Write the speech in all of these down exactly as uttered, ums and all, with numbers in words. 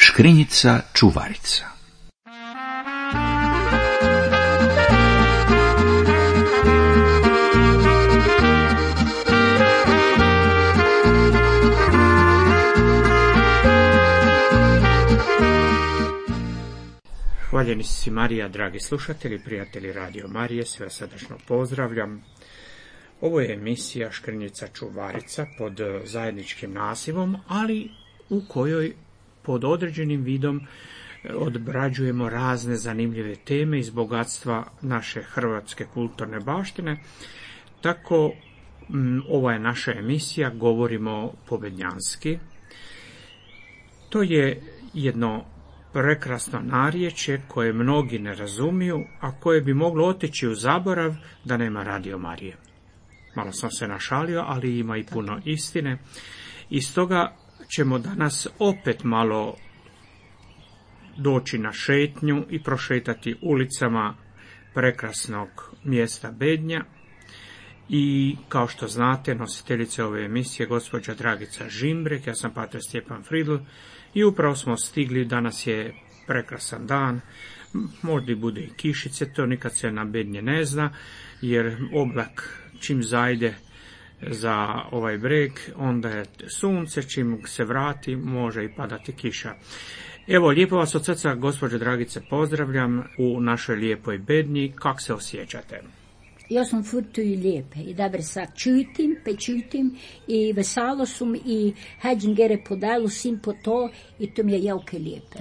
Škrinjica čuvarica. Hvaljeni si Marija, dragi slušatelji, prijatelji Radio Marije, sve srdačno pozdravljam. Ovo je emisija Škrinjica čuvarica pod zajedničkim nazivom, ali u kojoj pod određenim vidom obrađujemo razne zanimljive teme iz bogatstva naše hrvatske kulturne baštine. Tako, ova je naša emisija, govorimo pobednjanski. To je jedno prekrasno narječje koje mnogi ne razumiju, a koje bi moglo otići u zaborav da nema Radio Marije. Malo sam se našalio, ali ima i puno istine. I stoga ćemo danas opet malo doći na šetnju i prošetati ulicama prekrasnog mjesta Bednja. I kao što znate, nositeljica ove emisije gospođa Dragica Žimbrek, ja sam pater Stjepan Fridl i upravo smo stigli, danas je prekrasan dan, možda i bude i kišice, to nikad se na Bednje ne zna, jer oblak čim zajde za ovaj breg, onda je sunce, čim se vrati, može i padati kiša. Evo, lijepo vas od srca, gospođo Dragice, pozdravljam u našoj lijepoj Bednji. Kak se osjećate? Ja sam furto i lijepe i dobro sad čutim, pečutim i veselo sam i hađim gere podelu sim po to i to mi je jako lijepe.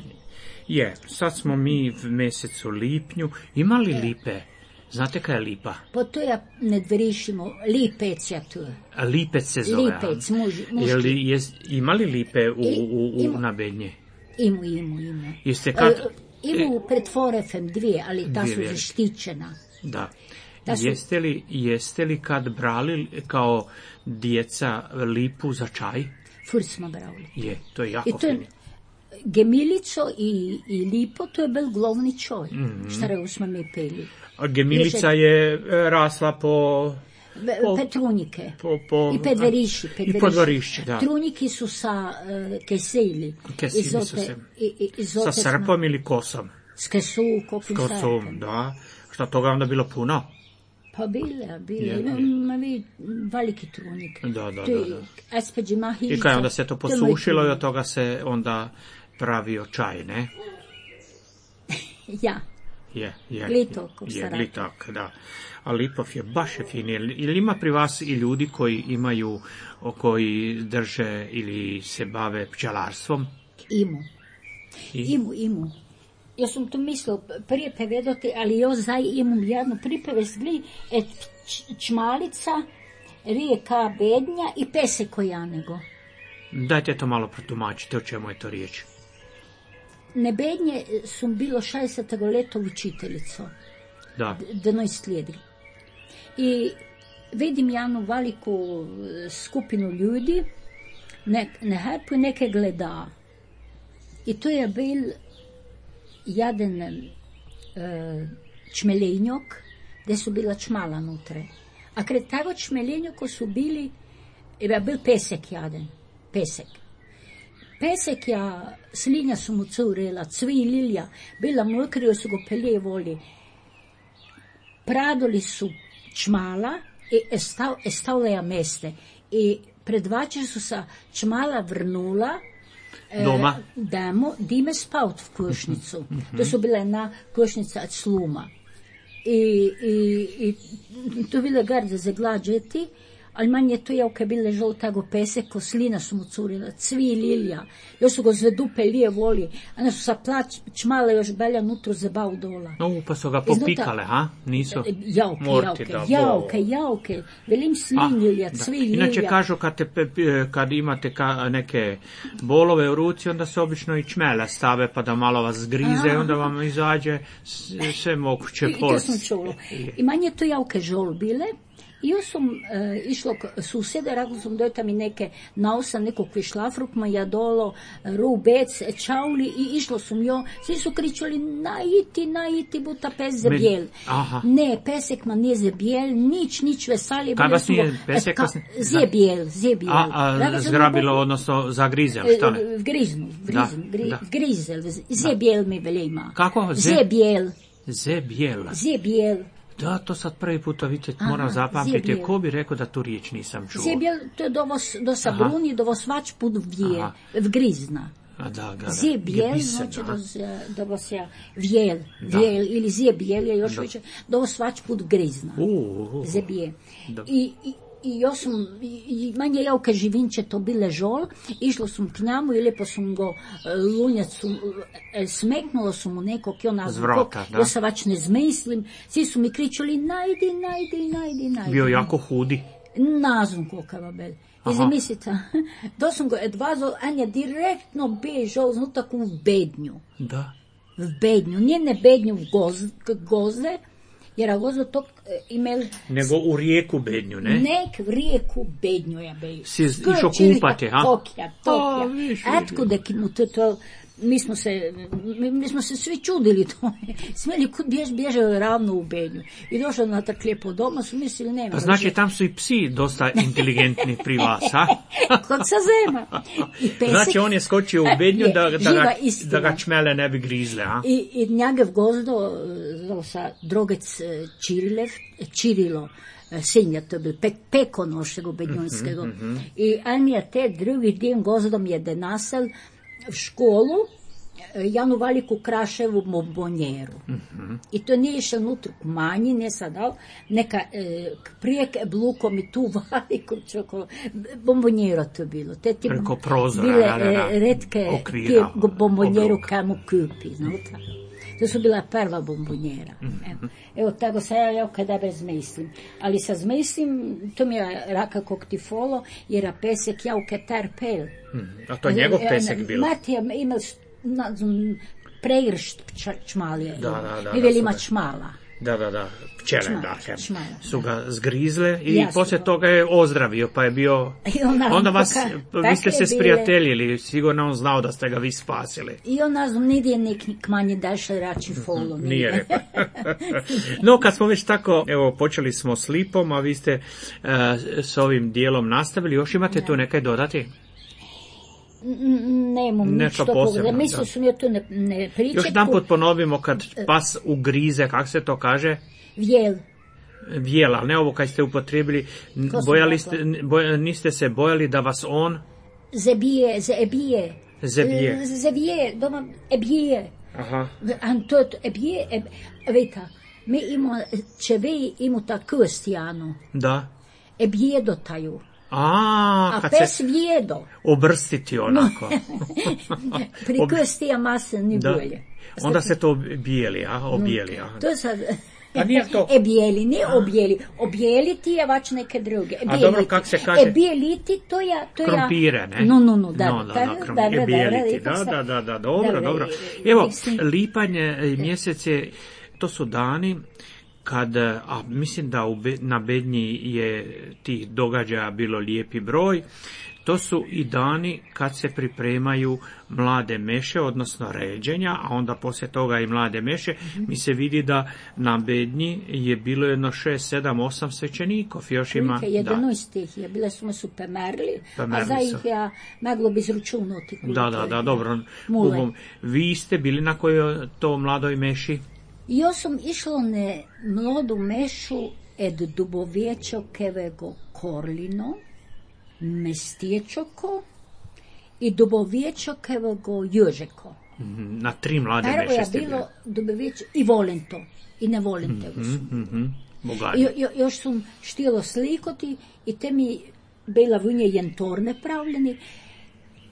Je, sad smo mi v mjesecu lipnju. Ima li lipe? Znate kaj je lipa? Pa to ja ne dvorišimo, lipec ja tu. A lipec se zove? Lipec, muž, muški. Je li, je, ima li lipe u, u, u, u na Bednje? Imu, imu, imu. Jeste kad... E, imu pred Forefem dvije, ali ta su dvije. zaštićena. Da. Da su... Jeste li, jeste li kad brali kao djeca lipu za čaj? Fur smo brali. Je, to je jako I to je, fino. Gemilico i, i lipo, to je bil glavni čoj, mm-hmm. šta smo mi peli. A gemilica je rasla po... po Petrunjike. Po, po, I Pedveriši. I Podvorišće, da. Trunjiki su sa uh, keseli. Keseli izote, su se. I, i, sa srpom smo... ili kosom? S kesu, kopim s kosom, da. Šta toga onda bilo puno? Pa bile, bile. Je, Ima, je. ima vi veliki trunik. Da, da, to je, da. da. I kaj onda se to posušilo i od toga se onda pravio čaj, ne? Ja. Je, je. Glitok, je, glitok, da. A lipov je baš je fin. Ili ima pri vas i ljudi koji imaju, koji drže ili se bave pčelarstvom? Imu. I? Imu, imu. Ja sam to mislil prije povedati, ali jaz zdaj imam jednu pripevest, gli, et čmalica, rijeka Bednja i pesek kojanego. Dajte to malo protumačite, o čemu je to riječ. Na Bednje sam bilo šestdesetega leta učiteljico. Da. dvanaest let. I vidim jednu veliku skupinu ljudi, ne, na hrpu neke gleda. I to je bil jedan uh, čmelenjok, gdje su bila čmala nutre. A kred tego čmelenjoka su bili, je bil pesek jaden, pesek. Pesek ja, slinja su mu curela, cvi lilja, bila mokrijo su go peljevoli. Pradoli su čmala i stavljaja meste. I predvače su sa čmala vrnula doma, e, demo, dime spaut v košnicu. Mm-hmm. To su bila jedna košnica od sluma. I, i, i to bile garde za glađeti, ali manje to je kad bile žoltago pesek, ko slina su mu curila, cvi lilja, još su go zvedu pelije voli, a ne su sa plać čmale još belja nutro zebav dola. No, pa su ga popikale, ha? Nisu? Jauke, morti, jauke, jauke, jauke, velim slin lilja, cvi lilja. Inače kažu kad, te, kad imate ka, neke bolove u ruci, onda se obično i čmele stave pa da malo vas zgrize, aha, onda vam izađe sve moguće bolesti. I to sam čulo. I manje to jauke žol bile, Jo sam e, išla k susjede, rekla sam dojta mi neke nausa, nekog višlafruk, maja dolo, rubec, čauli i išlo sam jo. Svi su kričali, najiti, najiti, buta pes zebjel. Ne, pesek ma nije zebjel, nič, nič veselje. Kaj vas nije pesek? Ka, zebjel, zebjel. A, a zgrabilo, odnosno zagrizel, šta ne? Griznu, griznu, gri, grizel, zebjel mi velima. Kako? Zebjel. Zebjel. Zebjel. Da, to sad prvi puta, vidite, moram zapamtiti. Ko bi rekao da tu riječ nisam čuo? Zebjel, to je do, vos, do sabruni, do vas vač put vije, vgrizna. A da, da, da. Zebjel, znači da, da vas ja vjel, vjel ili zebjel je još više, da vas vač put vgrizna. Uh, uh, Zebjel. I, i I ja sam, i manje ja u Živinče to bile žol, išla sam k njemu i lijepo sam go lunjac, smeknula sam mu nekog, i ona zvrata, da. Ja se vač ne zmislim, svi su mi kričali, najdi, najdi, najdi, najdi. Bio jako hudi. Nazum kokava bel. I zamislite, da sam go edvazol, a nje direktno bežao znutak u bednju. Da. V bednju, nije ne bednju v goz, gozde, jer a gozo tog imel... Nego u rijeku Bednju, ne? Nek v rijeku Bednju je bil. Si išao kupati, ha? Tokija, Tokija. Etko da ki mu to, to, mi smo se, mi, mi smo se svi čudili to. Smeli kud bjež, bježao ravno u Bednju. I došao na tak lijepo doma, su mislili nema. Pa znači tam su i psi dosta inteligentni pri vas, ha? Kod sa zema. I pesek, znači on je skočio u Bednju da, da, ga, da ga čmele ne bi grizle, ha? I, i njagav gozdo, sa drogec Čirilev, Čirilo, Sinja, to je bil pek, peko našega bednjunskega. Mm-hmm. I on je te drugi dan gozdom je denasel v školu, Janu Valiku Kraševu bombonjeru. Mm-hmm. I to nije išel nutra k manji, ne sad dal, neka e, prijek blukom i tu Valiku čoko, bombonjero to bilo. Te ti preko prozora, bile da, da, da. E, redke okvira, bombonjeru kamu kupi, znate. To su bila prva bombonjera. Evo, evo tako se ja, ja kada bez mislim. Ali sa zmislim, to mi je raka kog ti folo, jer a pesek ja u ketar pel. A to je njegov pesek bilo? Matija imel pregršt čmalije. Da, da, da. Mi veli ima čmala. Da, da, da. Pčele, čmala, da. Čmala, su ga da. zgrizle i Jasno. poslije toga je ozdravio, pa je bio... Ona, onda vas, poka, vi ste se sprijateljili, sigurno on znao da ste ga vi spasili. I on nas nidje nek manje dašle rači folo. Nije rekao. No, kad smo već tako, evo, počeli smo s Lipom, a vi ste uh, s ovim dijelom nastavili, još imate da. Tu nekaj dodati? Nemam nič toga, mislim su mi to ne, ne pričati. Još jedan put ponovimo kad pas ugrize, kako se to kaže? Vjel. Vjel, ali ne ovo kad ste upotrijebili, bojali ste, boj, niste se bojali da vas on... Zebije, zebije. Zebije. Zebije, doma, ebije. Aha. To je ebije, eb, veta, mi imamo, če vi imate krstijanu. Da. Ebije dotaju. A, a kad pes se vjedo. Obrstiti onako. Pri krstija mase ni da. bolje. Onda se to bijeli, a? Obijeli, a? To sad... A nije to... E bijeli, ne objeli. Objeliti je vač neke druge. A dobro, kak se kaže? E bijeliti, to je... To krompire, ne? No, no, no, da. No, da, da, krom... da, da, bijeliti, da, da, da, da, dobro, dobro. Evo, lipanj mjesec je, to su dani kad, a mislim da u, na Bednji je tih događaja bilo lijepi broj, to su i dani kad se pripremaju mlade meše, odnosno ređenja, a onda poslije toga i mlade meše. Mm-hmm. Mi se vidi da na Bednji je bilo jedno šest, sedam, osam svećenikov. Još ima... jedanaest ih je, bile su me su pemerli, a za ih ja moglo bi zručunuti. Da, da, da, dobro. Ugom, vi ste bili na kojoj to mladoj meši? Ja sam išla na mladu mešu ed Dubovječokevego Korlino, Mestiječoko i Dubovječokevego Jožeko. Mm-hmm, na tri mlade Prvo meše ste je bilo Dubovječe i Volento. I ne Volente. Mm-hmm, mm-hmm. Jo, jo, još sam štilo slikoti i te mi bila vunje jentorne pravljeni.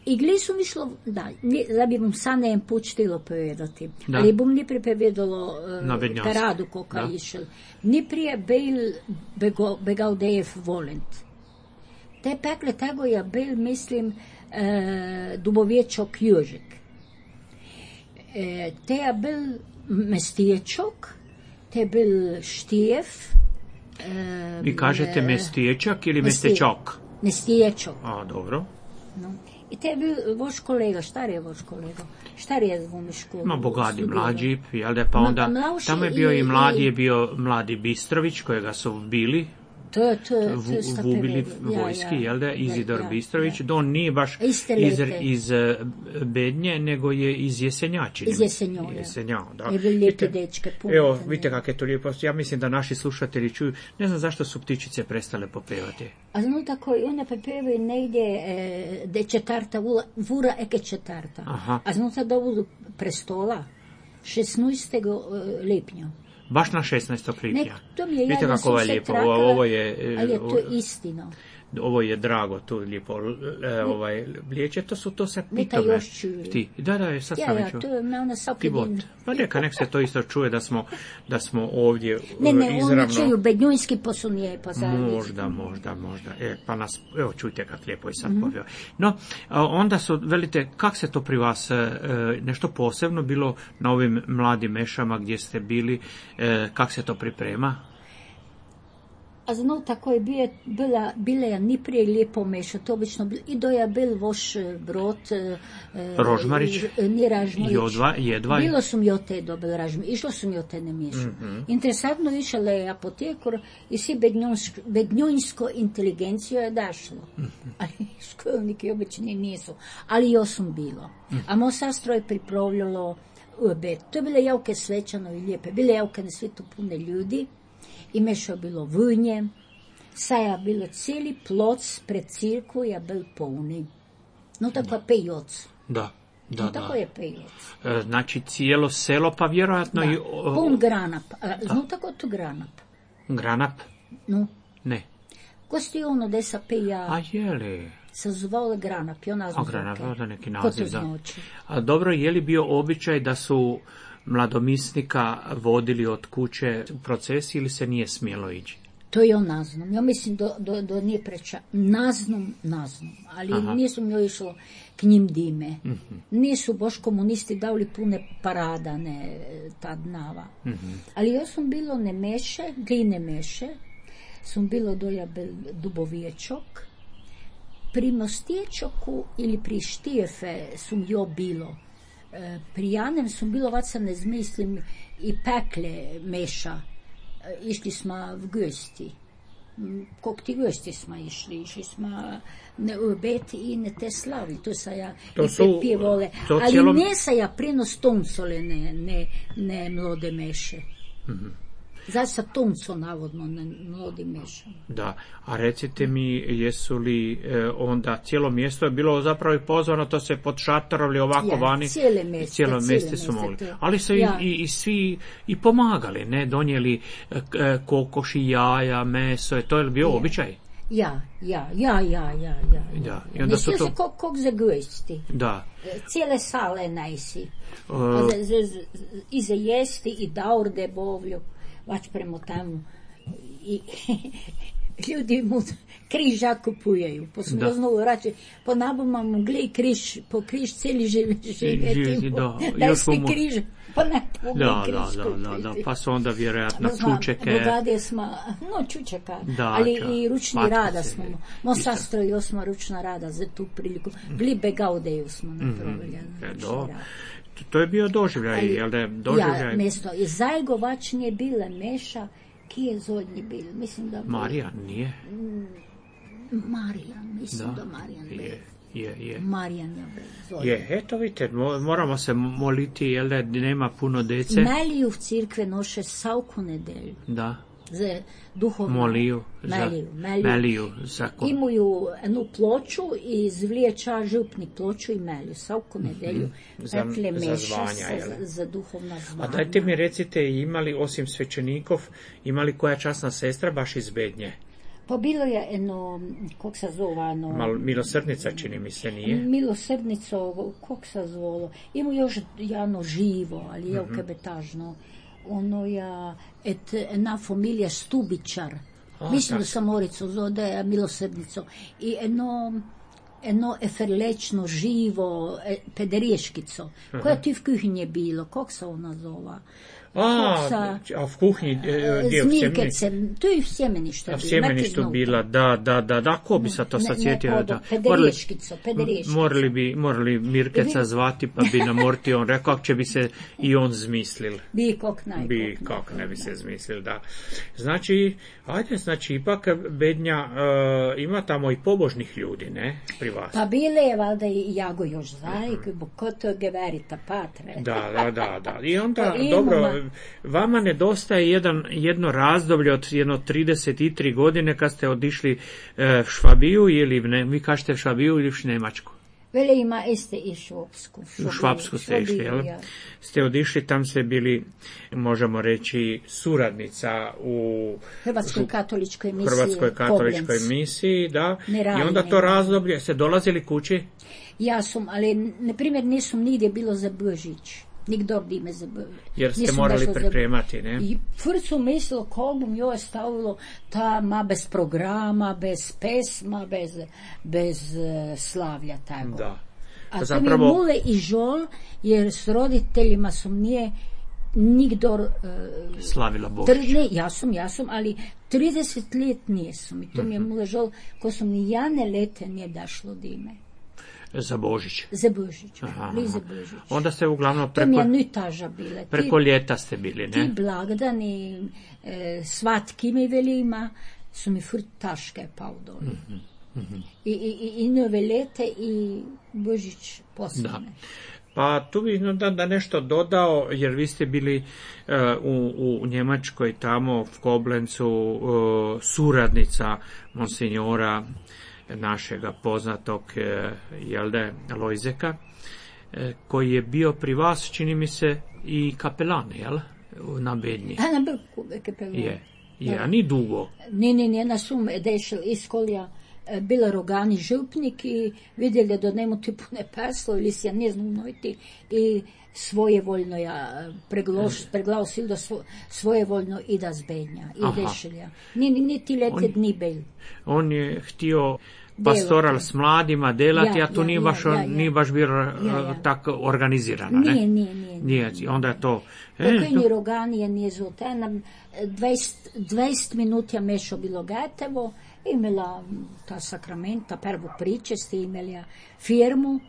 I gli su mi šlo, da, da bi vam sad ne put štilo povedati, da. Ali bom ni pripovedalo uh, paradu koka išel. Ni prije bil bego, begaudejev Volent. Te pekle tego je bil, mislim, uh, Dubovječok Jožek. Uh, te je bil Mestiječok, te je bil Štijev E, Vi kažete e, mestiječak ili mesti- mestečak? Mestiječok. A, dobro. No. I te je bil voš kolega, štar je voš kolega, štar je v školu. Ma bogadi studirao. mlađi, jel da, pa Ma- onda, mlauši tamo je bio i, i- mladi, i- je bio mladi Bistrović, kojega su bili, To je, to je, to vu, je sta vubili prevedu. Ja, vojski, ja. jel da, Izidor Ja, ja, Bistrović, ja. da on nije baš Iste iz, lete. iz eh, Bednje, nego je iz Jesenja, čini Iz mi se. Jesenja, ja. Jesenja, da. Je bil lijepi Vidite, dečke, puno evo, sam vidite je. kako je to lijepo. Ja mislim da naši slušatelji čuju, ne znam zašto su ptičice prestale popevati. A zno tako, one prepevaju negdje e, de četarta, vula, vura eke četarta. Aha. A zno sad ovu prestola, šestnaestog lipnja. Baš na šesnaestog lipnja. Ne, to mi je Vidite jadno, kako ovo je sam se lijepo. trakala, Ovo, ovo je, eh, ali je to ovo- istina. Ovo je drago, tu lijepo, e, ovaj, liječe, to su to se Ne, ta pitome. još čuju. Ti, da, da, sad Ja, sam ja, već. to je me ona sad Pivot. Pa neka, nek se to isto čuje da smo, da smo ovdje Ne, e, ne, oni izravno. čuju bednjunski posunije pa zajednicu. Možda, možda, možda. E, pa nas, evo čujte kako lijepo je sad Mhm. poveo. No, a onda su, velite, kak se to pri vas, e, nešto posebno bilo na ovim mladim mešama gdje ste bili, e, kak se to priprema? A zno tako je bije, bila, bile je ni prije lijepo meša, to obično bilo, i do je bil voš eh, brod, eh, Rožmarić? eh, ni Ražmarić. Jodva, jedva? Bilo sam jo te dobil Ražmarić, išlo sam jo te ne mešu. Mhm. Interesantno išla je apotekor i si bednjonsko, bednjonsko inteligencijo je dašlo. Mhm. Ali školniki obični nisu. Ali jo sam bilo. A mo sastro je pripravljalo obed. To je bile javke svečano i lijepe. Bile javke na svijetu pune ljudi. I mešao bilo vunje, saja bilo cijeli ploc pred cirku je bil polni. No tako je pejoc. Da, da, No da. tako je pejoc. E, Znači cijelo selo, pa vjerojatno i Da, o, pun granap. A, no tako tu granap. granap? No, Ne. kosti ono desa peja A je li? se zvalo granap. I ona A zvuke. granap, da, neki Ko naziv, to da. znači? A dobro, je li bio običaj da su mladomisnika vodili od kuće u procesi ili se nije smjelo ići? To je on naznom. Ja mislim do, do, do nije preča. Naznom, naznom. Ali Aha. nisu mi išlo k njim dime. Nisu boš komunisti dali pune parada, ne ta dnava. Ali ja sam bilo ne meše, gline meše, sam bilo doja bil dubovječok. Pri Mostječoku ili pri Štijefe sam jo bilo. E, pri Janem sam bilo, vat se ne zmislim, i pekle meša. E, išli smo v gosti. M, Kog ti gosti smo išli? Išli smo ne u obet i ne te slavi. To sa ja To i su- pjevole. to Ali cijelom- ne sa ja prinos toncole, ne, ne, ne mlode meše. Zato sa tonco navodno ne mlodi meša. Da, a recite mi, jesu li e, onda cijelo mjesto je bilo zapravo i pozvano, to se pod šatorovli ovako Ja, vani. cijele mjeste, cijelo cijele mjeste su mjeste, mogli. to je. Ali su Ja. i, i, i svi i pomagali, ne, donijeli e, k- e, kokoši, jaja, meso, je to je bio Je. običaj? Ja, ja, ja, ja, ja, ja. Da, i onda su Mislio to- se kog, kog za gosti. Da. E, Cijele sale najsi. E, A za, za, za, I za jesti, i daurde bovlju, vač premo tamo. I ljudi mu križa kupujeju. Po Da. smo znovu rače, po nabama mu glej križ, po križ cijeli živi, Živi, živjeti. da, Daj još sti mu- križ, pa ne pomogu Da, križ da, da, da, da, kupiti. pa su onda vjerojatno Znam, čučeke. Bogade smo, no čučeka, Da, ali ča- i ručni patkice, rada smo. Mo isto. sastrojio smo ručna rada za tu priliku. Glibe gaudeju smo napravili. E, ručni do. rad. To je bio doživljaj, Ali jel da je doživljaj? Ja, mjesto, i zajgovačnije bile meša, ki je zodnji bil, mislim da... bil- Marija, nije? Marijan, mislim da, Da, Marijan bil. je, je, je. Marijan je bil zodnji. Je, eto vidite, mo- moramo se moliti, jel da nema puno dece? Meliju v crkve noše savku nedelju. Da, Za duhovno. moliju. Za, Meliju, meliju. meliju za ko- Imaju jednu ploču i zvliječa župni ploču i melju. Savku nedelju Za- pekle za meša zvanja, sa- jel? za duhovna A zvanja. dajte mi recite, imali osim svećenikov, imali koja časna sestra baš iz Bednje? Pa bilo je jedno, kog se zove, ono... Mal, milosrdnica čini mi se, nije? Milosrdnico, kog se zvolo. Ima još jedno živo, ali je Mhm. ukebetažno. Ono ja, et ena familija Stubičar. A, Mislim tak. da sam Morico zove, da je milosrdnico. I eno, eno eferlečno, živo, e, pedereškico, Aha. koja ti v kuhinji bilo, kak se ona zova? A, Sa, a v kuhinji, e, gdje u Zmirkecem, to je v sjemeništu. A v sjemeništu bila, da, da, da, da, ko bi se to sad sjetio? Da. Pedereškico, pedereškico. Morali bi, morali Mirkeca zvati, pa bi nam Morti on rekao, kako će bi se i on zmislil. Bi kak naj. Bi kak ne bi se zmislil, da. Znači, ajde, znači, ipak Bednja uh, ima tamo i pobožnih ljudi, ne, pri vas. Pa bile je, valjda i Jago još zajk, bo ko to geverita patre. Da, da, da, da. I onda, Pa dobro, imamo. vama nedostaje jedan, jedno razdoblje od jedno trideset tri godine kad ste odišli e, Švabiju ili ne, vi kažete Švabiju ili u Njemačku? Vele ima este i Švapsku. U Švapsku ste išli, jel? Ste odišli, tam ste bili, možemo reći, suradnica u Hrvatskoj katoličkoj misiji. Hrvatskoj katoličkoj Koblenz. misiji, da. Ne I radi, onda ne to radi. razdoblje, ste dolazili kući? Ja sam, ali, na primjer, nisam nigdje bilo za Božić. Nikdor dime za Božić. Jer ste Nisam morali došla za- pripremati, ne? I prvo su mislilo kako bi joj stavilo ta ma bez programa, bez pesma, bez, bez uh, slavlja tako. Da. A Zapravo- to mi je mule i žol, jer s roditeljima sam nije nikdor uh, Slavila Božić. Tr- ne, ja sam, ja sam, ali trideset let nisam. I to mi je mule žol, ko sam ni jane lete nije dašlo dime. Za Božić. Za Božić, Aha, li za aha. Božić. Onda ste uglavnom To mi preko, je nitaža bile. preko ljeta ste bili, Ti ne? blagdani, e, svatki mi velima, su mi furt taške pao dole. Mhm, I, i, i, i nove lete i Božić posljedne. Pa tu bih da, da nešto dodao, jer vi ste bili uh, u, u Njemačkoj tamo, v Koblencu, uh, suradnica monsignora našega poznatog uh, Jelde Lojzeka, uh, koji je bio pri vas, čini mi se, i kapelan, jel? Na Bednji. A na Brku, kapelon. Je, je, a ni dugo. Ne, ne, ne, na sum dešel iz kolja e, bila rogani župnik i vidjeli da nemu ti pune peslo ili si ja ne znam nojti i svojevoljno ja preglaus, preglasil da svo, svojevoljno i da zbenja i Aha. dešelja. Ni, ni, ni ti lete On- dni bel. On je htio pastoral Delati. s mladima delati, Ja, a tu ja, nije ja, baš, ja, ja. nije baš bio Ja, ja. tako organizirano, ne? Nije, nije, nije. Nije, onda je to... E, Pokojni to- rogani je nije zvote. Nam dvajset, dvajset minut je mešo bilo gatevo, imela ta sakramenta, prvo priče ste imeli firmu,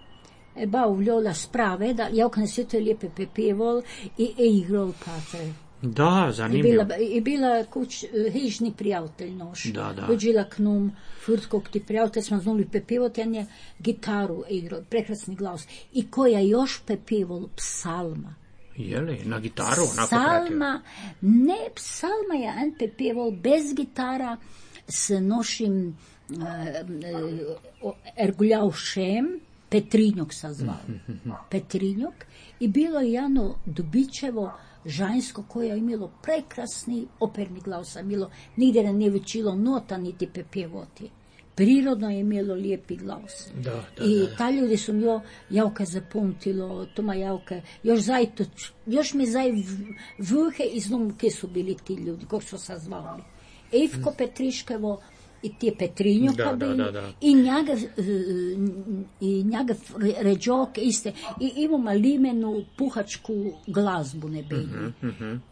e, ba uvljola sprave, da ja okne sve to lijepe pepevol i e igrol patre. Da, I zanimljivo. bila, i bila kuć, hižni prijatelj noš. Da, da. Dođila k num, furtkog ti prijatelj, smo znali pepivot, on je gitaru igrao, prekrasni glas. I koja još pepivol, psalma. Je li, na gitaru onako pratio? Psalma, ne, psalma je en pepivol bez gitara s nošim uh, uh, erguljaušem, Petrinjok se zvao. Petrinjok. I bilo je jedno dobičevo žensko koje je imelo prekrasni operni glas, imelo nigdje ne nije učilo nota niti pepjevoti. Prirodno je imelo lijepi glas. Da, da, I da. ta ljudi su mi jo javka zapamtilo, Toma javka, još zajto, još mi zaj vrhe iz numke su bili ti ljudi, kako su se zvali. Evko Petriškevo i ti je Petrinjoka Da, da, bili, da, da. i njega, i njega ređok iste, i imamo limenu puhačku glazbu ne bili.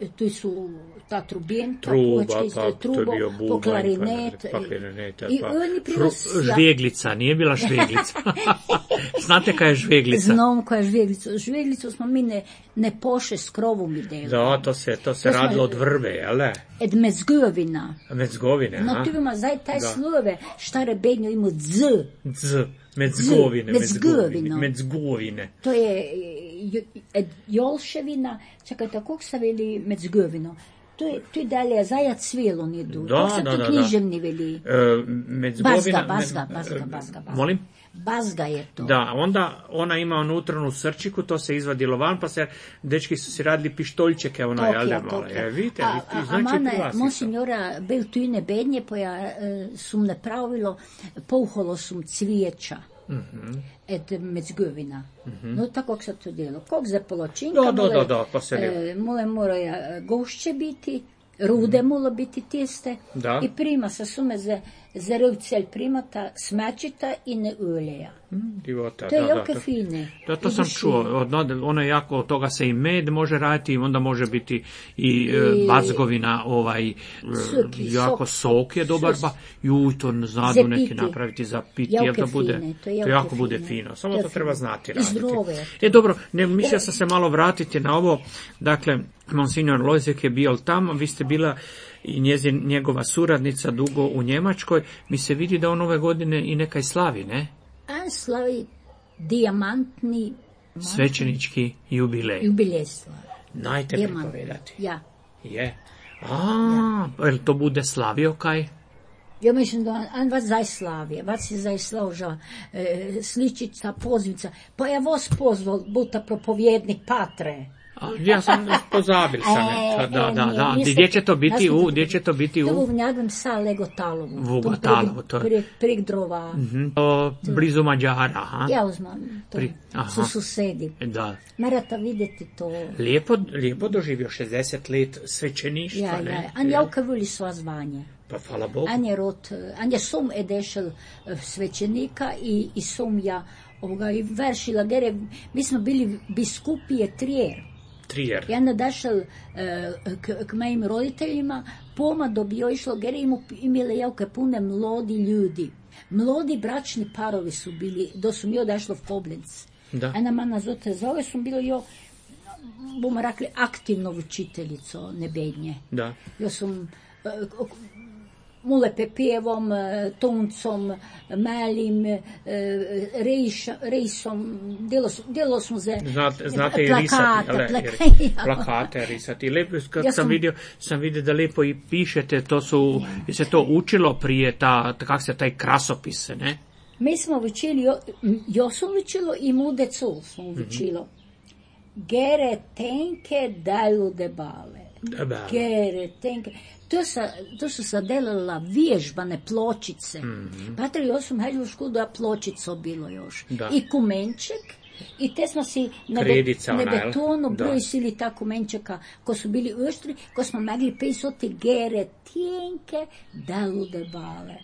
E, tu su ta trubjenka, Truba, puhačka iste, pa to je trubo, bio bubanj, po klarinet. pa klarinet, I pa oni Fru- prinos- žveglica, nije bila žveglica. Znate kaj je žveglica? Znam koja je žveglica. Žveglicu smo mi ne, ne poše s krovom i delali. Da, to se, to se To smo- radilo od vrbe, jel ne? Ed mezgovina. Medzgovine, No a? tu ima zdaj taj Da. slove, štare bednjo ima dz. Z, medzgovine, Z, medzgovine, medzgovino. medzgovine. To je e, jo- ed jolševina, čekajte, kako se veli mezgovino? To je, to je dalje, zajac svijelo nije du. Da, Kako se da, to da, književni veli? E, medzgovina... Bazga, bazga, me- bazga, e, bazga, bazga. Molim? Bazga je to. Da, onda ona ima unutranu srčiku, to se izvadilo van, pa se, dečki su si radili pištoljčeke, ono, jel da, malo. Tokija. E, vidite, a, vidite, a, znači a mane, pri vas isto. monsignora, bil tu ne bednje, pa ja e, sum ne pravilo, pouholo sum cvijeća. Mhm. Ed mezgovina. No tako kako se to delo. Kog za poločinka, Da, da, mole, da, da, pa se lijepo. e, mole moraja gošće biti, rude molo biti tiste Da. i prima sa sume za Zerovcelj primata smačita i ne uljeja. Mm, divota, To je da, jako da, fine. Da, to I sam duši. čuo. Od, ono je jako, od toga se i med može raditi, onda može biti i, I- I bazgovina, ovaj, Sok i jako sok. sok je dobar, Sos. ba, juj, to znadu Za neki piti. napraviti za piti, Jako jel da bude, fine, to to je jako jako bude fine. fino, samo To to je treba fino. znati I raditi. zdravo je. E, dobro, ne, mislio sam se malo vratiti na ovo, dakle, Monsignor Lojzek je bio tamo, vi ste bila i njezin, njegova suradnica dugo u Njemačkoj, mi se vidi da on ove godine i nekaj slavi, ne? A slavi dijamantni Svećenički jubilej. jubilej slavi. Najte Dijamantni. pripovedati. Ja. Je. A, jel to bude slavio kaj? Ja mislim da on, on vas zaj slavije, vas je zaj složa e, sličica, pozivca. Pa ja vas pozval, buta propovjednik patre. A, ja sam pozabil sam. E, je. Da, e, da, nije, da. niste- Gdje će to biti niste- u? Gdje će to biti To u? u njegom sa Legotalovu. V Tom Legotalovu, to je- Prig, prig drova. Mhm. O, blizu Mađara, aha. Ja uzmam, to Pri- aha. su susedi. Da. Morate vidjeti to. Lijepo, lijepo doživio šezdeset let svećeništva, Ja, ne? ja. An jauka voli sva zvanje. Pa hvala Bogu. An je rod, an je som edešel eh, svećenika i, i som ja ovoga, i veršila gere. Mi smo bili biskupije Trier. Trier. Ja nadašel uh, k, k mojim roditeljima, poma dobio išlo, gere imu, imele jauke pune mlodi ljudi. Mlodi bračni parovi su bili, do su mi odašlo v Koblenc. Da. Ena mana zote zove, sam bilo jo, bomo rekli, aktivno učiteljico nebednje. Da. Jo sam uh, mule pepevom, uh, toncom, malim, uh, rejš, rejsom, delo, su- delo smo za Znate, znate i plakate, risati, ale, plaka- jer- plakate risati. Lepo, kad Ja sam, sam- vidio, sam vidio da lepo i pišete, to su, je se to učilo prije, ta, kak se taj krasopis, ne? Mi smo učili, jo, jo sam učilo i mudecu sam učilo. Gere tenke daju debale. Da, Gere tenke. To, sa, to su se delala vježbane pločice. Mm-hmm. Patri, jo sam hađu u školu da pločico bilo još. Da. I kumenček. I te smo si na, be, Kredica na ona, jel? betonu Da. brojsili ta kumenčeka ko su bili oštri, ko smo mogli pisati gere tenke daju debale.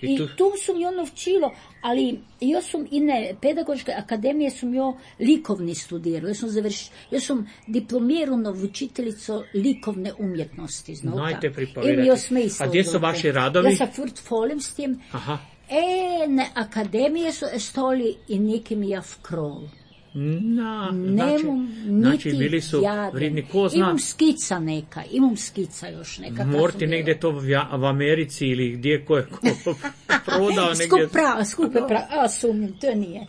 I I tu- tu sam jo naučilo, ali jo sam i ne, pedagoške akademije sam jo likovni studirao. Ja sam, završ, ja sam diplomirana učiteljico likovne umjetnosti. Znao Najte ta. pripovedati. Im jo smisla A gdje su znate. vaši radovi? Ja sa portfolijem s tim. Aha. E, na akademije su stoli i nekim ja v krov. Na, znači, Nemam znači niti bili su jaden. vridni, ko zna, Imam skica neka, imam skica još neka. kad morti sam negdje to v, Ja- v Americi ili gdje ko je ko prodao negdje. Skup prava, skupe prava, a sumnjam, to nije.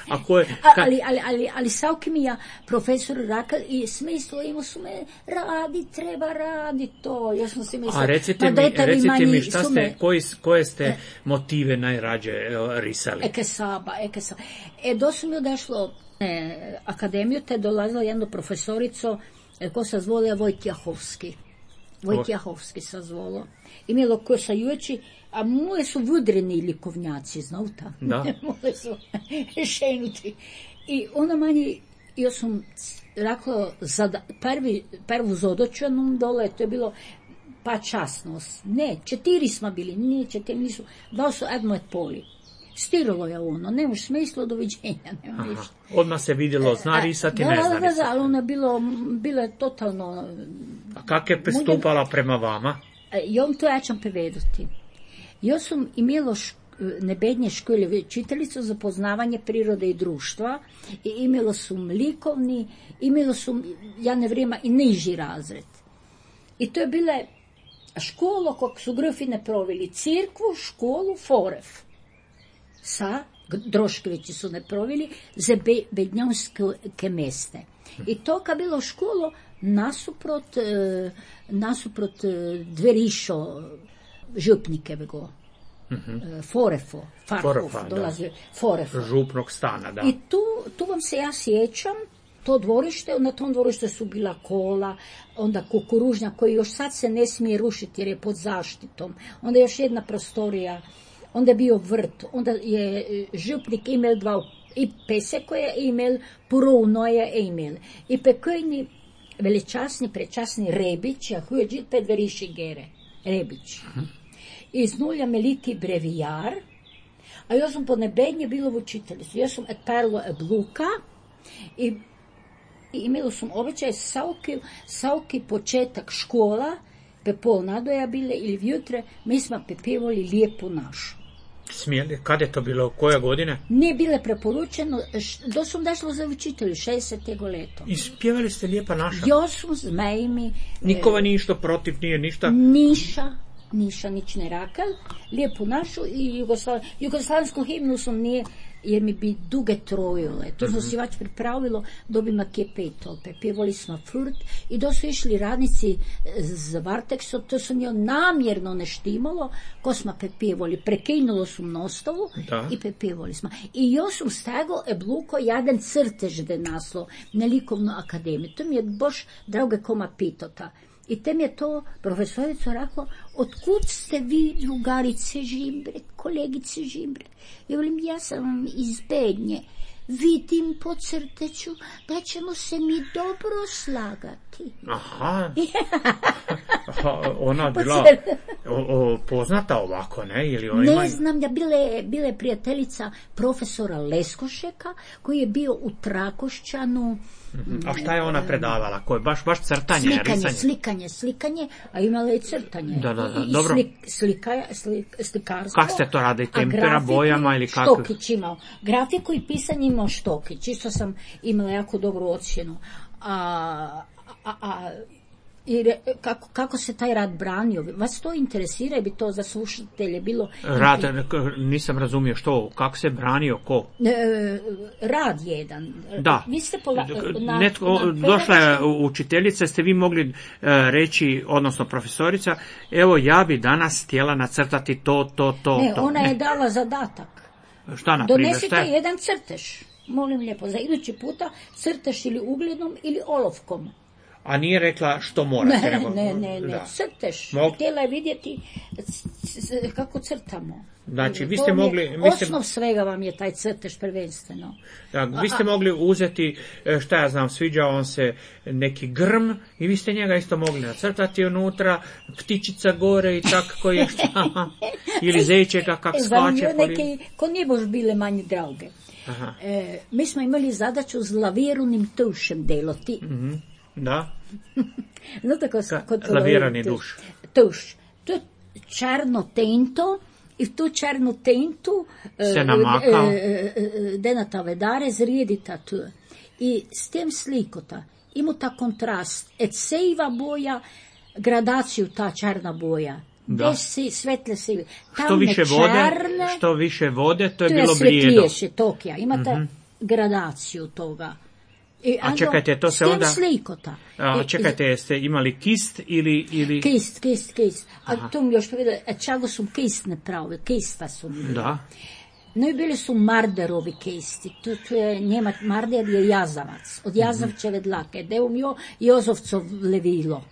A ko je, A, ka- ali, ali, ali, ali savki mi ja profesor Rakal i smislo imao su me radi, treba radi to. Ja sam si mislila, a recite ma mi, dajte vi recite mani mi šta su ste, me- koji, koje ste motive najrađe e, risali? Eke saba, eke saba. E, do su mi odešlo e, akademiju, te dolazila jedno profesorico, e, ko se zvolio Vojtjahovski. Vojtjahovski se zvolo. Imelo ko sa jueči, a moje su vudreni likovnjaci, znauta. Da. Moje su šenuti. I ona manje, ja sam rekla, zada, prvi, prvu zodočanom dole, to je bilo pa časnost. Ne, četiri smo bili, ne, četiri nisu, dao su edmo et poli. Stiralo je ono, nemaš smisla, doviđenja, nema Aha. ništa. Odmah se vidjelo, zna risati, da, ne da, zna da, da, risati. ali ona je bilo, bila je totalno. A kak je pristupala prema vama? E, Ja vam to ja ćam povedati. Ja sam imela šk- nebednje škole učiteljicu za poznavanje prirode i društva i imela sam likovni, imela sam, ja ne vrijeme, i niži razred. I to je bila škola kog su grofine proveli, cirkvu, školu, foref. Sa, Droškovići su ne proveli, za be, bednjanske meste. I to kad bilo školo, nasuprot, e, nasuprot e, dverišo župnike bego. E, Forefo, Farkov, Forefa, da. dolazi Forefo. Župnog stana, da. I tu, tu vam se ja sjećam, to dvorište, na tom dvorištu su bila kola, onda kukuružnja koji još sad se ne smije rušiti jer je pod zaštitom, onda još jedna prostorija, onda je bio vrt, onda je e, župnik imel dva i pese koje je imel, purovnoje je imel. I pekojni veličasni, prečasni Rebić, a hujeđit pet veriši gere, Rebić. iz nulja meliti brevijar, a jaz sem po nebenje bila v učiteljici. Jaz sem odprla obluka i, i imela sam običaj svaki, svaki početak škola, pe pol nadoja bile ili vjutre, mi smo pepevali Lijepu našu. Smijeli? Kad je to bilo? Koje godine? Nije bile preporučeno, do sam došla za učitelju, šezdesetego leto. I spjevali ste Lijepa naša? Jo sam s mejimi. Nikova nije što protiv, nije ništa? Niša. Niša nič ne rakal, Lijepu našu i Jugoslav... jugoslavensku himnu sam nije, jer mi bi duge trojile. To smo mm-hmm. si vač pripravilo, dobima kje petol. Pjevali smo furt i do su išli radnici z Vartekso, to sam jo namjerno ne štimalo, ko smo pjevali. Prekinulo sam nostavu da. I pjevali smo. I još sam stago ebluko jaden crtež de naslo na likovnu akademiju. To mi je boš drauge koma pitota. I tem je to profesorica rekla, otkud ste vi, drugarice Žimbrek, kolegice Žimbrek? Ja velim, ja sam vam iz Bednje. Vidim po crteću da ćemo se mi dobro slagati. Aha. Aha, ona bila o, o, poznata ovako, ne? Ili ona ne ima... znam, da bile, bile prijateljica profesora Leskošeka, koji je bio u Trakošćanu. Mm-hmm. A šta je ona predavala? Koje? Baš, baš crtanje, slikanje, risanje? Slikanje, slikanje, a imala je crtanje. Da, da, da, I dobro. Slik, slika, slik, slikarstvo. Kako ste to radili? Tempera, bojama ili kako? Štokić imao. Grafiku i pisanje imao Štokić. Isto sam imala jako dobru ocjenu. A, a, a i re, kako, kako se taj rad branio? Vas to interesira i bi to za slušatelje bilo... Rad, nisam razumio što, kako se branio, ko? E, rad jedan. Da. Vi ste pola, na, Netko, na došla je učiteljica, ste vi mogli uh, reći, odnosno profesorica, evo ja bi danas htjela nacrtati to, to, to, ne, to. Ona ne. je dala zadatak. Šta na primjer? Donesite šta je? jedan crtež. Molim lijepo, za idući puta crtež ili ugljnom ili olovkom. A nije rekla što morate? Ne, ne, ne, ne, crtež. Mog... Htjela je vidjeti kako crtamo. Znači, vi to ste mogli... Vi ste... Osnov svega vam je taj crtež prvenstveno. Da, vi ste a, mogli uzeti, šta ja znam, sviđa vam se neki grm i vi ste njega isto mogli nacrtati unutra, ptičica gore i tak koji je šta, ili zejčeka kak skače. Za neke, ko nije bož bile manje drauge. E, mi smo imali zadaću z lavirunim tušem deloti. Mm-hmm. Da. Znate ko se lavirani duš. Tuš. To je čarno tento i v tu čarno tentu se namakao. Denata vedare zrijedita tu. I s tem slikota ima ta kontrast. Et sejva boja, gradaciju ta čarna boja. Da. Si, svetle sive. Što više čarne, vode, što više vode, to je to bilo je blijedo. Tokija. Imate mm-hmm. gradaciju toga. I a čekajte, to se onda... slikota. A čekajte, jeste imali kist ili... ili... Kist, kist, kist. A aha. Tu mi još povedali, a čago su kist ne pravili, kista su mi. Da. No i bili su Marderovi kisti. Tu, tu je Njemac, Marder je jazavac. Od jazavčeve dlake. Deo mi jo Jozovcov levilo.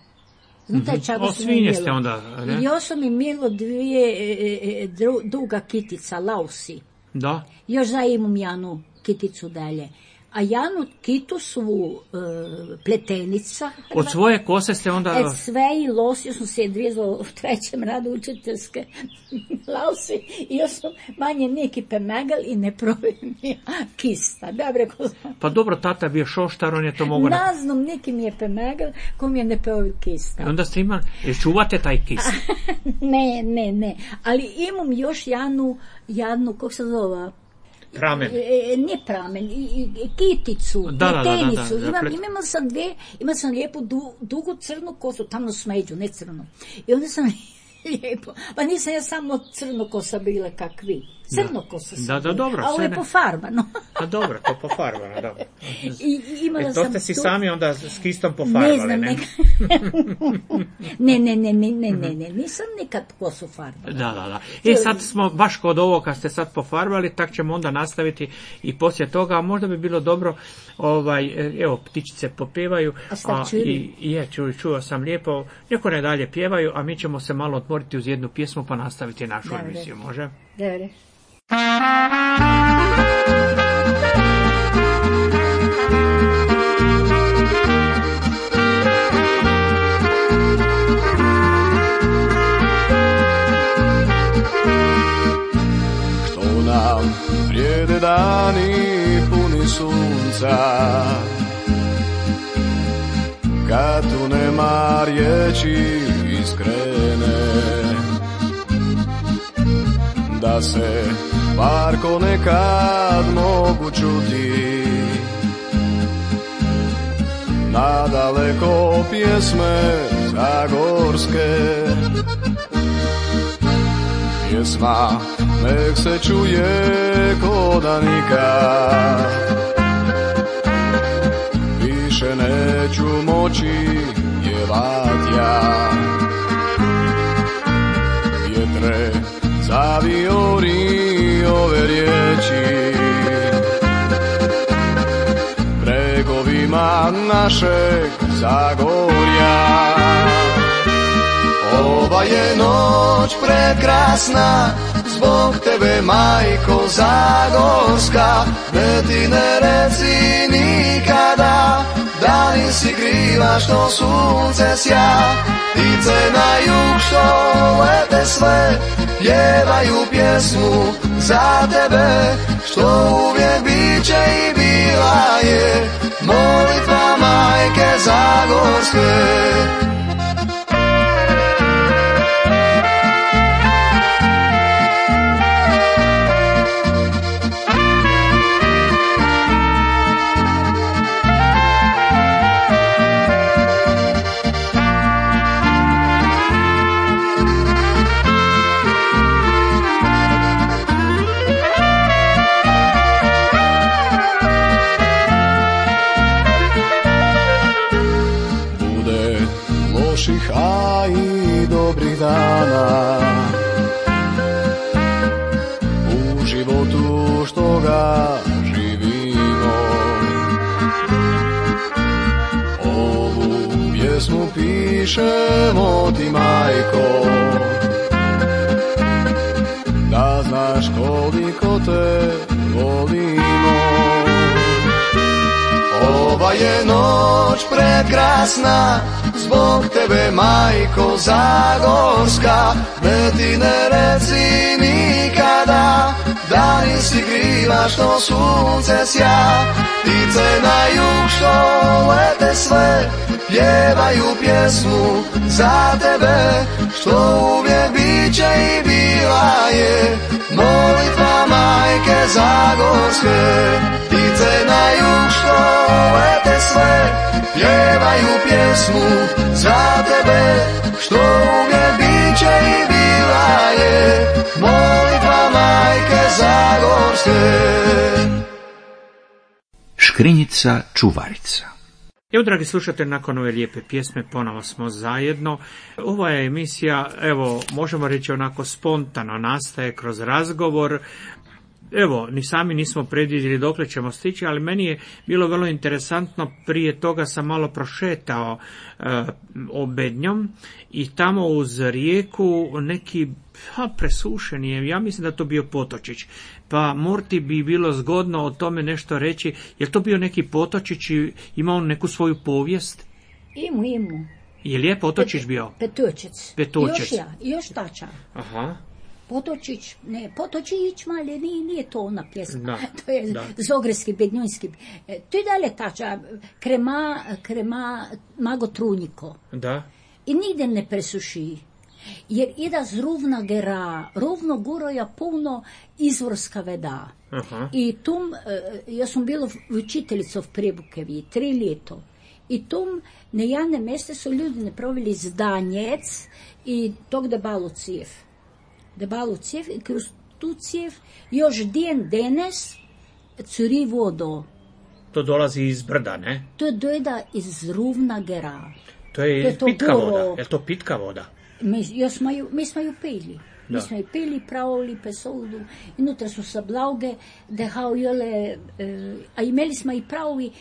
Znate, mm-hmm. čago o, su svinje mi ste onda, ne? I još sam imelo dvije e, e, dru, duga kitica, lausi. Da. Još za imam janu kiticu dalje. A janu kitu su uh, pletenica. Od svoje kose ste onda... Od sve i los, još sam se odvijezala u trećem radu učiteljske lausi i još sam manje neki pemegal i ne probim kista. Dobre, ko... Pa dobro, tata bio šoštar, on je to mogo... Naznom neki mi je pemegal, ko mi je ne probim kista. I onda ste imali, čuvate taj kist? ne, ne, ne. Ali imam još janu, janu, kako se zove... Pramen. E, ne pramen, i, i, kiticu, da, pletenicu. Da, da, da, da, imam, imala sam dve, imala sam lijepu du, dugu crnu kosu, tamno smeđu, ne crnu. I onda sam lijepo, pa nisam ja samo crno kosa bila kak vi. Crno kosa sam da, da, dobro, a ovo je pofarbano. Pa dobro, to pofarbano, dobro. I, imala e, to ste sam si tu... sami onda s kistom pofarbali, ne? Znam, ne? ne, ne, ne, ne, ne, ne, ne, nisam nikad kosu farbala. Da, da, da. I sad smo baš kod ovo kad ste sad pofarbali, tak ćemo onda nastaviti i poslije toga, a možda bi bilo dobro, ovaj, evo, ptičice popjevaju, a, a i, i je, ču, čuo sam lijepo, neko ne dalje pjevaju, a mi ćemo se malo otvoriti uz jednu pjesmu pa nastaviti našu emisiju, može? Dobre. a tu nema riječi iskrene, da se parko nekad mogu čuti, nadaleko pjesme zagorske. Pjesma nek se čuje ko da nikad, više neću moći pjevat ja. Vjetre, zaviori ove riječi bregovima našeg Zagorja. Ova je noć prekrasna, zbog tebe, majko Zagorska, ne ti ne reci nikada da nisi kriva što sunce sja. Ptice na jug što lete sve, pjevaju pjesmu za tebe, što uvijek bit će i bila je molitva majke Zagorske. A i dobrih dana u životu što ga živimo. Ovu pjesmu pišemo ti, majko, da znaš koliko te volimo. Ova je noć prekrasna, zbog tebe, majko Zagorska, ne ti ne reci nikada da nisi kriva što sunce sja. Ptice na jug što lete sve, pjevaju pjesmu za tebe, što uvijek bit će i bila je molitva majke Zagorske. Ptice na jug što lete sve, pjevaju pjesmu za tebe, što uvijek bit će i bila je molitva majke Zagorske. Škrinjica čuvarica. Evo, dragi slušatelji, nakon ove lijepe pjesme ponovo smo zajedno. Ova je emisija, evo, možemo reći onako spontano nastaje kroz razgovor. Evo, ni sami nismo predvidjeli dokle ćemo stići, ali meni je bilo vrlo interesantno. Prije toga sam malo prošetao e, Obednjom i tamo uz rijeku neki ha, presušen je, ja mislim da to bio potočić. Pa Morti bi bilo zgodno o tome nešto reći. Je to bio neki potočić i ima on neku svoju povijest? Imu, imu. Je li je potočić bio? Petučec. Petučec. Još ja, još tača. Aha. Potočić, ne, Potočić, mali, nije, nije to ona pjesma, da, to je da. Zogreski, Bednjunski. E, to je dalje tača, krema, krema, mago trunjiko. Da. I nigdje ne presuši, jer ida z rovna gera, rovno goroja puno izvorska veda. Aha. I tum, ja sam bila učiteljica v Prebukevi, tri leto. I tum, na javne meste su ljudi napravili zdanjec i tog debalo cijev. Debalo cijev i kroz tu cijev još den danes curi vodo. To dolazi iz brda, ne? To dojda iz rovna gera. To je, To je to pitka goro. voda. Je to pitka voda? Mi, jo smo ju, mi smo ju pili. Da. Mi smo ju pili, pravili pesovdu. I nutra su sa blauge, dehao jole, e, a imeli smo i pravi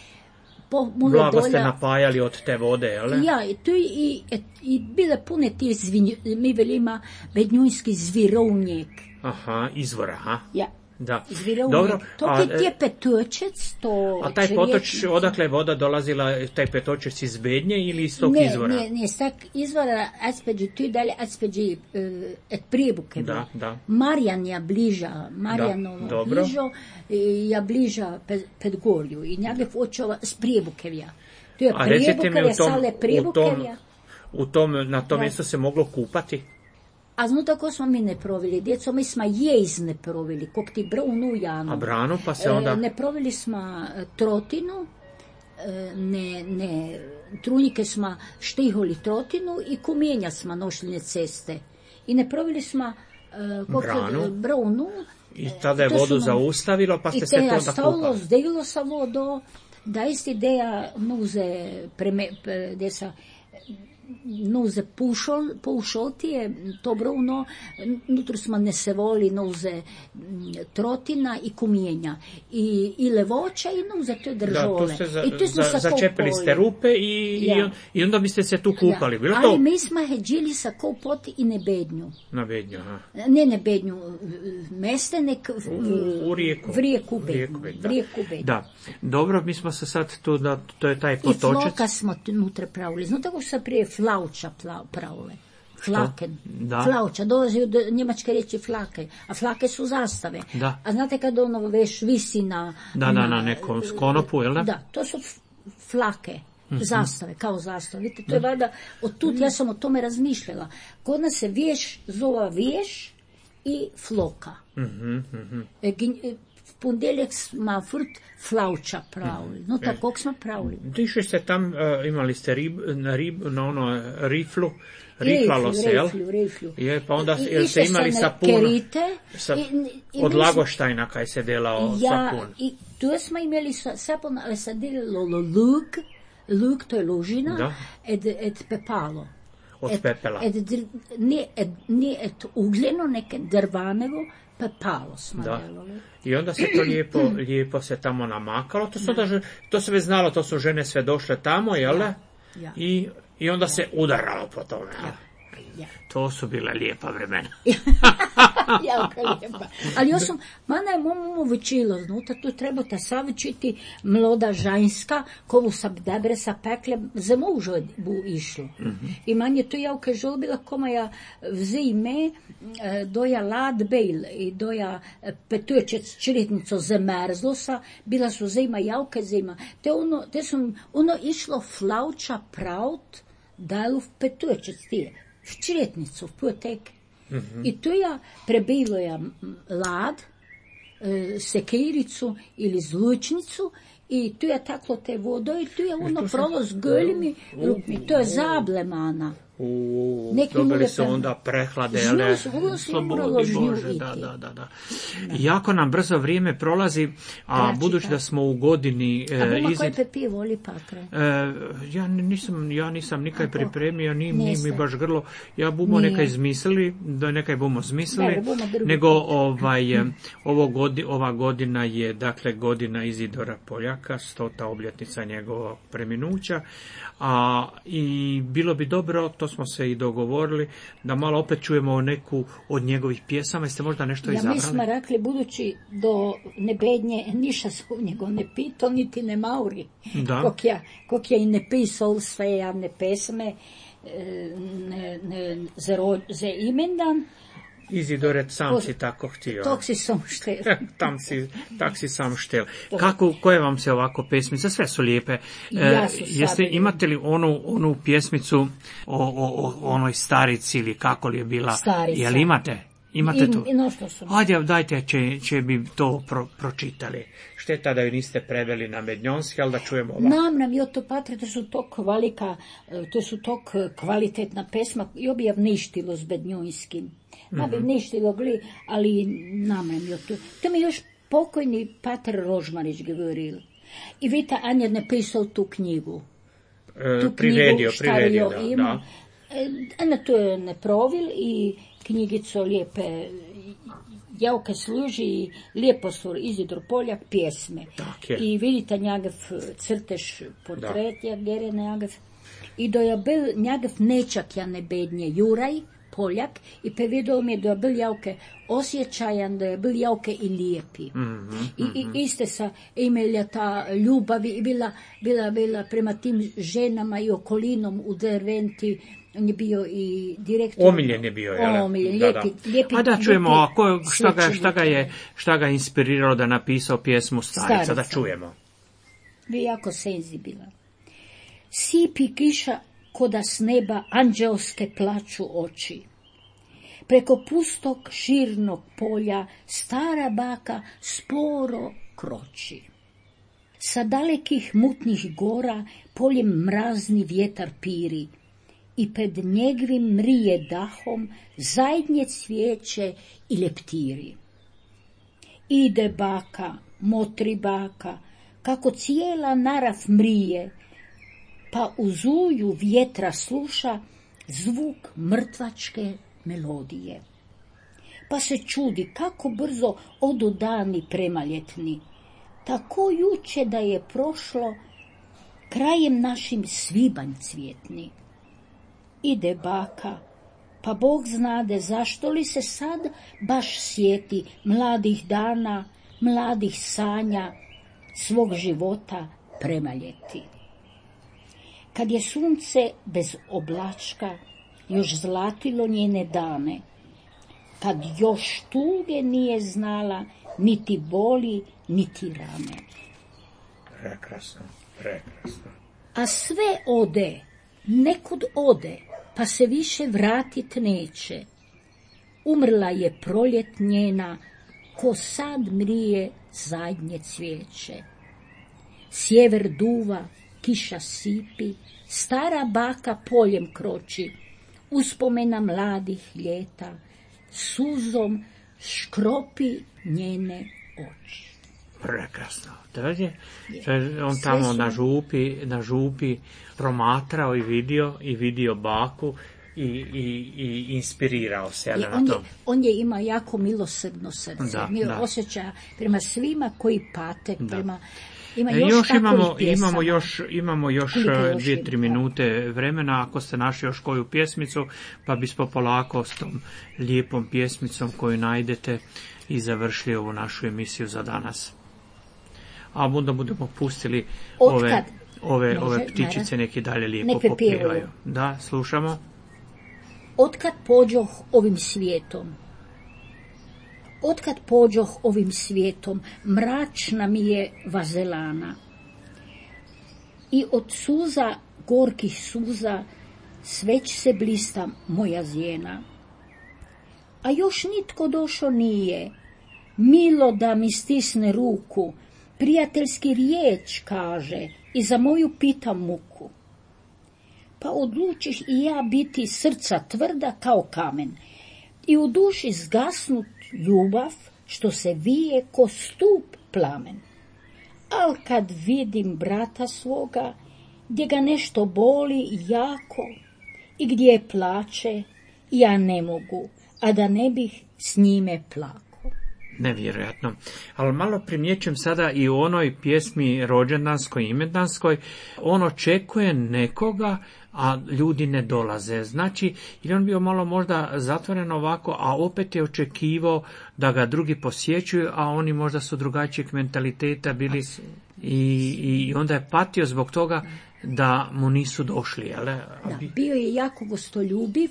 po mulo Blago ste dolja. napajali od te vode, jel? Ja, i tu i, i, i bile pune ti zvinj, mi velima bednjunski zvirovnjek. Aha, izvora, aha. Ja. Da. Izvira u Dobro, njega. To a, je tije petočec, to... A taj čriječni- potoč, odakle je voda dolazila, taj petočec iz Bednje ili iz tog ne, izvora? Ne, ne, stak izvora aspeđi, tu je dalje aspeđi uh, et prijebuke. Da, da. Marjan ja bliža, Marjanovo dobro. bližo, i ja bliža ped, ped gorju i njega očova s prijebukevja. Tu je A recite mi prijebukevja, u tom, sale u tom, prijebukevja. u tom, na tom Da. mjestu se moglo kupati? A znu tako smo mi ne provili, djeco, mi smo jejz ne provili, kog ti brunu janu. A branu, pa se onda... E, ne provili smo e, trotinu, e, ne, ne, trunjike smo štiholi trotinu i kumijenja smo nošli na ceste. I ne provili smo e, kog ti- Branu. brunu. I tada je To vodu su nam- zaustavilo, pa ste I se te to ja onda stavilo, kupali. zdejilo sa vodo, da isti ideja nuze, preme, pre- gdje sa nuze pušol, pušoltije, to bruno, nutro smo ne se voli nuze m, trotina i kumijenja. I, i levoća i nuze to Da, držole. tu ste za, I tu smo za, sa začepili ste kopali. rupe i, Ja. i, on- i onda biste se tu kupali. Bilo Ali to mi smo heđili sa kopoti i nebednju. na Bednju? Aha. Ne nebednju, mestenek U, u rijeku. v rijeku U rijeku bednju. Bednju, da. v rijeku bednju. Da. Dobro, mi smo se sad tu, da, to je taj I potočec. floka smo unutra pravili. Znate kako se prije flauča pla- pravile? Flaken. Da. Flauča, dolazi od njemačke riječi flake. A flake su zastave. Da. A znate kad ono veš visi na... Da, da, na nekom konopu, jel da? Da, to su f- flake. Zastave, kao zastave. Vidite, to je valjda, od tut ja sam o tome razmišljala. Kod nas se vješ zova vješ i floka. E, gnj- e, v ponedjeljak smo furt flauča pravili. No tako smo pravili. Išli ste tam, uh, imali ste rib, na, rib, na ono riflu, riflalo se, jel? Riflju, riflju. Je, pa onda I- jel ste išle imali se sapun? kerite Sa, i- i od mi smo- Lagoštajna kaj se delao Ja, sapun. i tu smo imeli sa, sapun, ali se delilo luk, luk to je lužina, Da. ed, ed pepalo. Od Ed- pepela. Ed, dr- nije, ed, nije ed ugljeno, neke drvanevo, pepalo smo Da. delali. I onda se to lijepo, lijepo se tamo namakalo. To, su onda, že- to se već znalo, to su žene sve došle tamo, jel da? Ja. I, I onda se udaralo po tome. jel? Ja. To su bila lijepa vremena. Jako lijepa. Ali ja sam, mana je momu učilo, znutra tu treba ta savičiti mloda ženska, kovu sam dobre sa pekle, za mužo bu išlo. I manje to javka žolbila, koma ja vzime, e, doja lad bejl i doja e, petučec čritnico zamrzlo sa, bila su zima javka zima. Te ono, te sam, ono išlo flauča praut, daju v petučec tije, v čretnicu, v potek. I tu ja prebilo ja m, lad, e, sekiricu ili zlučnicu i tu ja taklo te vodo i tu ja ono prolo s goljimi rukmi. To je zablemana. U, Neki dobili mure su tamo. onda prehlade, Žnju ale, su, vrlo su slobodi moralo žnju Bože, da, iti. da, da, da. Jako nam brzo vrijeme prolazi, a Kraći budući da čas. smo u godini A e, buma koji izid... pepi voli patre. E, ja nisam, ja nisam nikaj Ako? pripremio, ni, ni mi Niste. baš grlo. Ja bumo Nije. nekaj izmislili, da nekaj bumo zmislili, Dobro, bumo drugi nego put. ovaj, e, ovo godi, ova godina je, dakle, godina Izidora Poljaka, stota obljetnica njegovog preminuća, a i bilo bi dobro, to smo se i dogovorili, da malo opet čujemo neku od njegovih pjesama. Jeste možda nešto Ja mi izabrali? smo rekli, budući do nebednje, niša se u njego ne pito, niti ne mauri. Da. Kok ja, kok ja i ne pisao sve javne pesme, e, ne, ne, za, ro, za imendan, Izidore, sam To- si tako htio. tog si sam štel. Tam si, tak si sam štel. Kako, koje vam se ovako pesmice? Sve su lijepe. Ja su jeste, sad- imate li onu, onu pjesmicu o, o, o onoj starici ili kako li je bila? Starica. Jel imate? Imate I, tu? i no što su. Ajde, dajte, će, će bi to pro, pročitali. Šteta da ju niste preveli na mednjonski, ali da čujemo ovako. Nam nam jo to patre, to su tok kvalika, e, to su tok e, kvalitetna pesma, jo bi ja vništilo s bednjojskim. Ma bi vništilo gli, ali nam nam jo to. To mi još pokojni pater Rožmarić govoril. I vidite, Anja je napisao tu knjigu. E, Tu priredio, knjigu šta priredio, jo da, ima. da. E, Ena to je ne provil i knjigico lijepe javke služi i lijepo su Izidor Poljak pjesme. Tak je. I vidite njagav crtež portret, jak gere njagav. I do je bil njagav nečak ja nebednje Juraj Poljak i povedal mi je, da je bil javke osjećajan, da je bil javke i lijepi. Mm-hmm, I, i iste sa imela ta ljubav i bila, bila, bila prema tim ženama i okolinom u Derventi. On je bio i direktor. Omiljen je bio, jel? Omiljen, da, lijepi, da. lijepi. A da čujemo, a ko, šta, ga, šta, ga je, svećenik. šta ga je inspiriralo da napisao pjesmu Starica, Starica. da čujemo. Bio jako senzibilan. Sipi kiša koda s neba anđelske plaču oči. Preko pustog širnog polja stara baka sporo kroči. Sa dalekih mutnih gora poljem mrazni vjetar piri i pred njegovim mrije dahom zajednje cvijeće i leptiri. Ide baka, motri baka, kako cijela narav mrije, pa u zuju vjetra sluša zvuk mrtvačke melodije. Pa se čudi kako brzo odu dani premaljetni, tako juče da je prošlo krajem našim svibanj cvjetni. Ide baka, pa Bog znade zašto li se sad baš sjeti mladih dana, mladih sanja, svog života premaljeti. Kad je sunce bez oblačka još zlatilo njene dane, kad još tuge nije znala, niti boli, niti rane. Prekrasno, prekrasno. A sve ode, nekud ode, pa se više vratit neće. Umrla je proljet njena, ko sad mrije zadnje cvijeće. Sjever duva, kiša sipi, stara baka poljem kroči, uspomena mladih ljeta, suzom škropi njene oči. Prekrasno. To je, to je on tamo na župi, na župi promatrao i vidio, i vidio baku i, i, i inspirirao se. I na on, je, to. on je ima jako milosrdno srce. Da, Mi da. osjeća prema svima koji pate, Da. prema... Ima E, još, još imamo, takovih pjesama. imamo još, imamo još Koliko još dvije, ima, tri da. minute vremena, ako ste našli još koju pjesmicu, pa bismo polako s tom lijepom pjesmicom koju najdete i završili ovu našu emisiju za danas. A onda budemo pustili Otkad? ove, ove, Može, ove ptičice naravno. neki dalje lijepo Nek pjevaju. popjevaju. Da, slušamo. Otkad pođoh ovim svijetom, otkad pođoh ovim svijetom, mračna mi je vazelana. I od suza, gorkih suza, sveć se blista moja zjena. A još nitko došao nije, milo da mi stisne ruku, prijateljski riječ kaže i za moju pita muku. Pa odlučiš i ja biti srca tvrda kao kamen i u duši zgasnut ljubav što se vije ko stup plamen. Al kad vidim brata svoga, gdje ga nešto boli jako i gdje plače, ja ne mogu, a da ne bih s njime plakao. Nevjerojatno. Ali malo primjećujem sada i u onoj pjesmi rođendanskoj, imendanskoj, on očekuje nekoga, a ljudi ne dolaze. Znači, ili on bio malo možda zatvoren ovako, a opet je očekivao da ga drugi posjećuju, a oni možda su drugačijeg mentaliteta bili i, i onda je patio zbog toga da mu nisu došli. Jel? Da, bio je jako gostoljubiv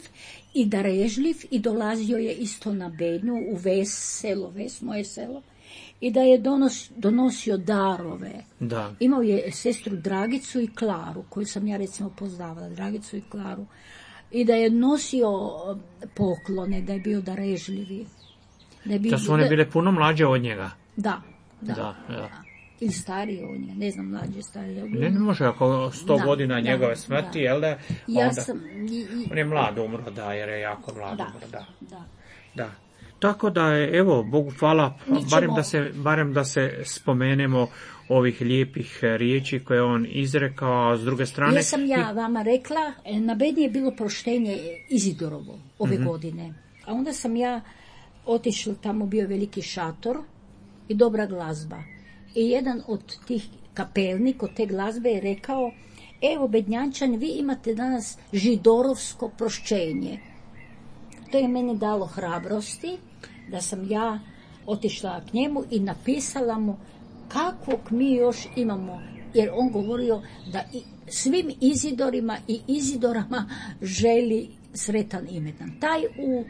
i darežljiv i dolazio je isto na Bednju u Ves, selo Ves, moje selo, i da je donos, donosio darove. Da. Imao je sestru Dragicu i Klaru, koju sam ja recimo poznavala, Dragicu i Klaru, i da je nosio poklone, da je bio darežljivi. Da, je bio, Da su one bile puno mlađe od njega. Da, da. Da, da. Ili starije od njega, ne znam, mlađe, starije. Ne, ne može, ako sto Da, godina da, njegove da. smrti, jel da? Ja onda, sam... I, i, on je mlad umro, da, jer je jako mlad da, umro, da. da. Da. Tako da je, evo, Bogu hvala, Mi ćemo- barem da se, barem da se spomenemo ovih lijepih riječi koje je on izrekao, a s druge strane... Ja sam ja vama rekla, na Bednji je bilo proštenje Izidorovo ove Mhm. godine. A onda sam ja otišla, tamo bio veliki šator i dobra glazba. I jedan od tih kapelnik od te glazbe je rekao, evo Bednjančani, vi imate danas židorovsko prošćenje. to je meni dalo hrabrosti da sam ja otišla k njemu i napisala mu kakvog mi još imamo, jer on govorio da i svim Izidorima i Izidorama želi sretan imendan. Taj u,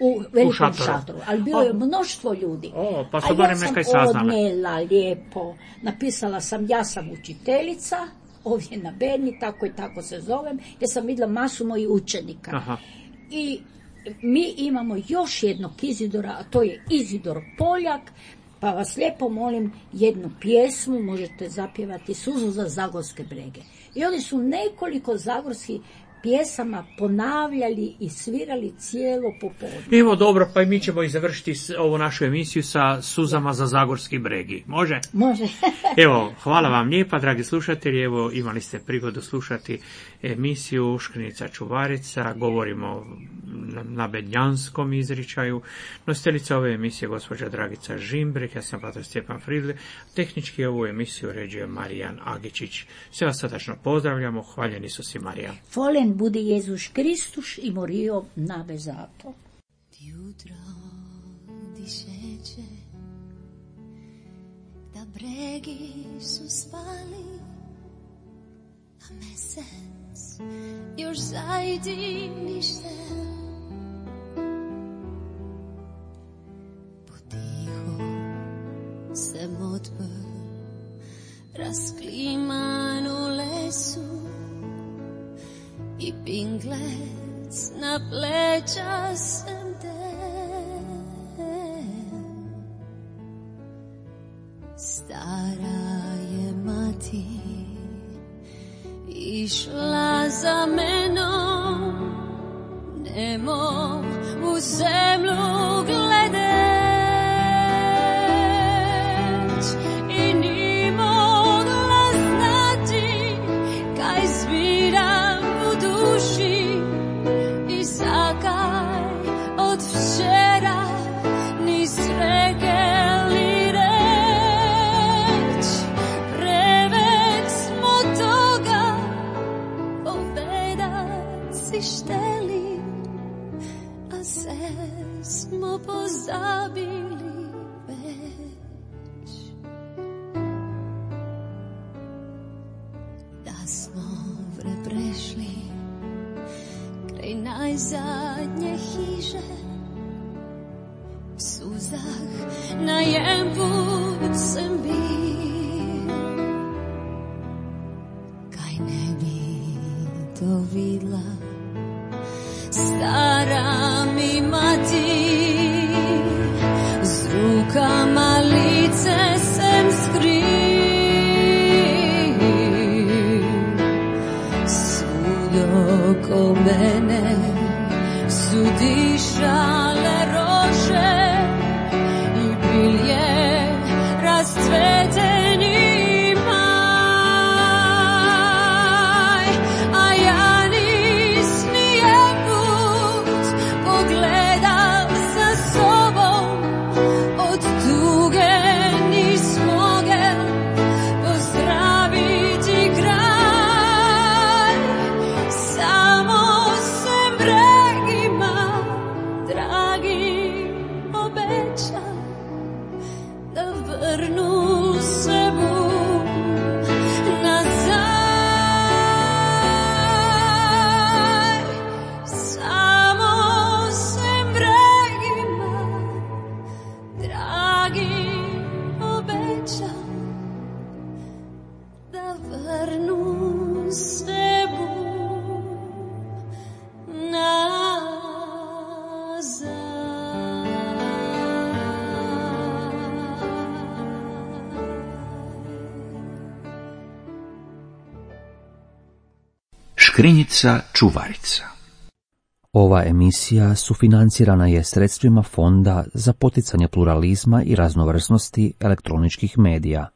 u velikom u šatoru. šatoru, ali bilo je mnoštvo ljudi. O, pa a su ja barem sam nekaj saznali. odnijela lijepo, napisala sam ja sam učiteljica, ovdje na Berni, tako i tako se zovem, jer sam vidjela masu mojih učenika. Aha. I mi imamo još jednog Izidora, a to je Izidor Poljak, pa vas lijepo molim jednu pjesmu, možete zapjevati Suzu za Zagorske brege. I oni su nekoliko zagorskih pjesama ponavljali i svirali cijelo popodne. Evo dobro, pa i mi ćemo i završiti ovu našu emisiju sa Suzama za Zagorski bregi. Može? Može. Evo, hvala vam lijepa, dragi slušatelji. Evo, imali ste prigodu slušati emisiju Škrinica Čuvarica. Govorimo na bednjanskom izričaju. Nositeljica ove emisije gospođa Dragica Žimbrek, ja sam pator Stjepan Fridle. Tehnički ovu emisiju uređuje Marijan Agičić. Sve vas srdačno pozdravljamo. Hvaljeni su si, Marija. Volen budi Jezus Kristus i morio nave zato. Jutro dišeće, da bregi su spali, a mesec još zajdi nište. Potiho se modbe raskliman u lesu i pinglec na pleća sem te. Stara je mati išla za menom, nemo u zemlju gledeć i ni mogla znati kaj zbiram u duši i zakaj od včera ni srekeli reč. Prevek smo toga povedat si šteli, a se smo pozabili već. Da smo vre prešli kraj najzadnje hiže, v suzah na jem put sem bil. Kaj ne bi to vidla stara mi mati, z rukama lice sem skril. Sud oko mene su dišale rože i bilje rascveteni maj, a ja nis nijem put pogledal sa sobom, od tuge nis mogel pozdraviti kraj. Samo sem bregima dragi obećam da vrnu se bum nazaj. Samo sem bregima dragi obećam da vrnu se bum nazaj. Škrinjica Čuvarica. Ova emisija sufinancirana je sredstvima Fonda za poticanje pluralizma i raznovrsnosti elektroničkih medija.